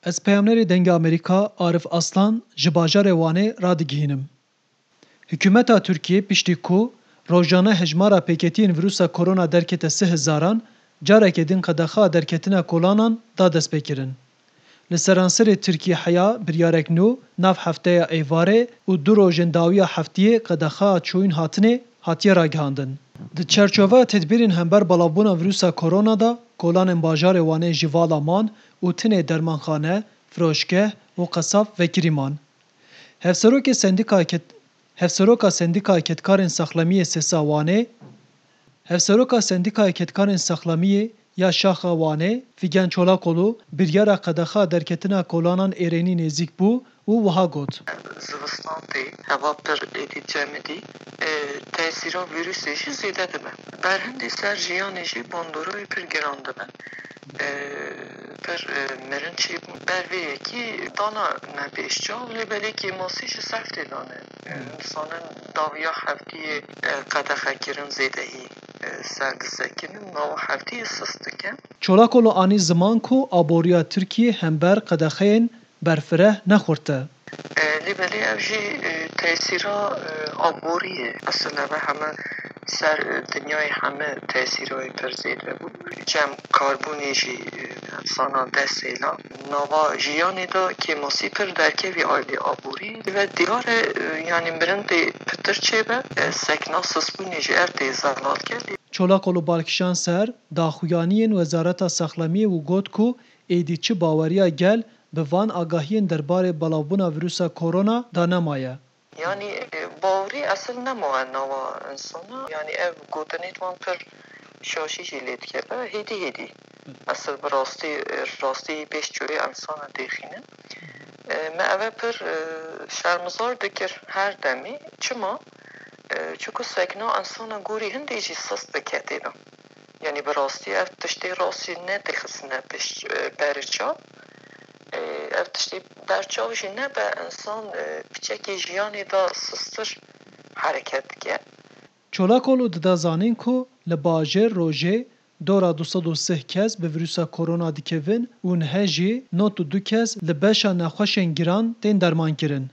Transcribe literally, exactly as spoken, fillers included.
Ez peyamnerê Dengê Amerîka Arif Aslan ji bajarê Wanê radigihînim. Hikûmeta Tirkiyê piştî ku rojane hejmara pêketiyên vîrusa korona derkete sih hezaran, careke din qedexa derketina kolanan da destpêkirin. Li seranserê Tirkiyê heya biryarek nû nav hefteya êvarê û du rojên dawiya heftiyê qedexa çûyîn hatinê hatiye ragihandin. Di çerçoveya tedbîrên hember belavbûna vîrusa korona de kolanên bajarê Wanê ji vala man û tinê dermanxane, firoşgeh û qesab vekirî man. Hevserokê Sendîkaya Ked-, Hevseroka Sendîkaya Kedkarên Saxlemiyê Sesa Wanê, Hevseroka Sendîkaya Kedkarên Saxlemiyê ya Şaxa Wanê, Fîgen Çolakolu, biryara qedexa derketina kolanan êrênî nêzîk bû û wiha got. Zivistan tê, heva pir êdî cemidî, e, tesîra vîrusê jî zêde dibe. Berhindî ser jiyanê jî bandorayê pir giran dibe. E, pir, e, mirin çêbûn. Ber vê yekî dana ne pêş çav, lê belê kêmasî ji sehf tê dane. E, insanin dawiya heftiyê, e, qedexekirin zêdehî, e, ser disekinin, nava heftiyê sist dike. Çolakolu anî ziman ku aboriya Tirkiyê hember qedexeyên berfireh ne xurt e. E, lê belê ev jî, e, tesîra, e, aborî ye. Esil ev e heme ser, e, dinyayê heme tesîra wê pir zêde bû. Cem karbonê jî, e, insana dest hêla. Nava jiyanê de kêmasî pir derkevî aylê aborî ve diyar e, e, yanî mirin tê pitir çêbe, e, sekna sisbûnê jî ev tê zelal ke. Çolakolu bal kişand ser daxuyaniyên Wezareta Saxlemiyê û got ku êdî çi baweriya gel bi van agahiyên derbarê belavbûna vîrusa korona de nemaye. Yanî, e, bawerî esil nemaye nava insana. Yanî ev gotinê wan pir şaşî jî lê dikeve. Hêdî hêdî. Esil bi rastî, e, rastî pêş çûyê insana dêxînin. E, me eve pir, e, şermizar dikir her demî. Çima? E, çiku sekna insana gorî hindê jî sist dike têna. Yanî bi rastî ev tiştê rastî nedixistine pêş, e, berê çav. E, ev tiştê berçav jî nebe, insan, e, piçekê jiyanê de sisttir hereket dike. Çolakolu dida zanîn ku li bajêr rojê dora du sed û sih kes bi vîrusa korona dikevin û nihe jî nod û du kes li beşa nexweşên giran tên dermankirin.